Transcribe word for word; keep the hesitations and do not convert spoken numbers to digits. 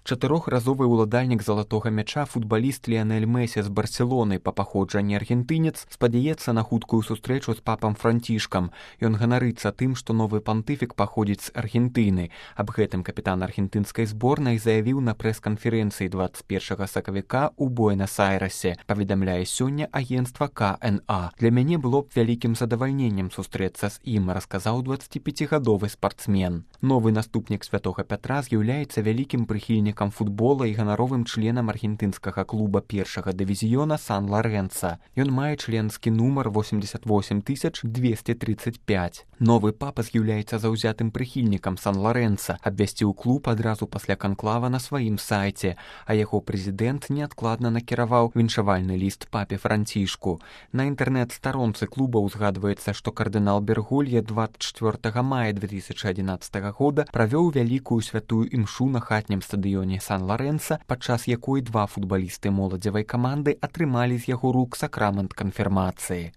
Чатырохразовы ўладальнік залатога мяча футбаліст Ліанель Месі з Барселоны, па паходжанні аргентынец, спадзяецца на хуткую сустрэчу з папам Францішкам. Ён ганарыцца тым, што новы пантыфік паходзіць з Аргентыны. Аб гэтым капітан аргентынскай зборнай заявіў на прэс-канферэнцыі дваццаць першага сакавіка ў Буэнас-Айресе, паведамляе сёння агенцтва ка эн а. Для мяне было б вялікім задавальненнем сустрэцца з ім, расказаў дваццаціпяцігадовы спартсмен. Новы наступнік святога Пятра з'яўляецца вялікім прыхільнікам футбола і ганаровым членам аргентынскага клуба першага дывізіёна Сан-Лорэнца. Ён мае членскі нумар восемьдесят восемь тысяч двести тридцать пять. Новы папа з'яўляецца заўзятым прыхільнікам Сан-Лорэнца, абвясціў клуб адразу пасля канклава на сваім сайце, а яго прэзідэнт неадкладна накіраваў віншавальны ліст папе Францішку. На інтэрнэт-старонцы клуба ўзгадваецца, што кардынал Берголье дваццаць чвёртага мая две тысячи адзінаццатага года правёў вялікую святую імшу на хатнім стадыёне Сан-Лорэнца, падчас якой два футбалісты моладзевай каманды атрымалі з яго рук сакрамент канфірмацыі.